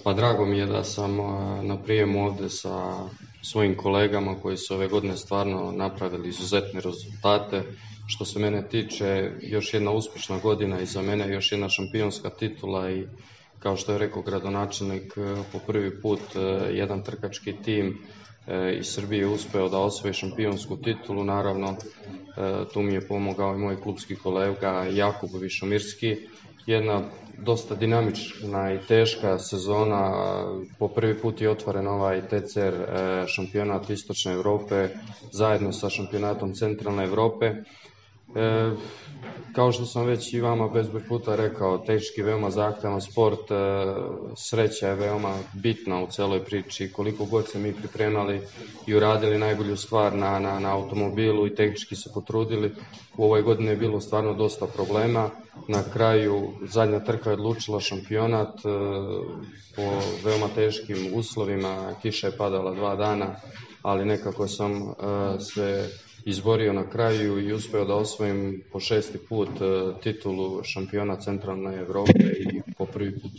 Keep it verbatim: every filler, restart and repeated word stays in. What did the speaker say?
Pa drago mi je da sam na prijemu ovdje sa svojim kolegama koji su ove godine stvarno napravili izuzetne rezultate. Što se mene tiče, još jedna uspješna godina iza mene, još jedna šampionska titula i kao što je rekao gradonačelnik, po prvi put jedan trkački tim iz Srbije uspeo da osvoji šampionsku titulu. Naravno, tu mi je pomogao i moj klubski kolega Jakub Višomirski. Jedna dosta dinamična i teška sezona. Po prvi put je otvoren ovaj T C R šampionat Istočne Europe zajedno sa šampionatom Centralne Europe. E, kao što sam već i vama bezbroj puta rekao, tehnički veoma zahtevan sport, e, sreća je veoma bitna u celoj priči. Koliko god se mi pripremali i uradili najbolju stvar na, na, na automobilu i tehnički se potrudili, u ovoj godini je bilo stvarno dosta problema. Na kraju zadnja trka je odlučila šampionat e, po veoma teškim uslovima, kiša je padala dva dana, ali nekako sam e, se izborio na kraju i uspeo da osvojim po šesti put titulu šampiona Centralne Evrope i po prvi put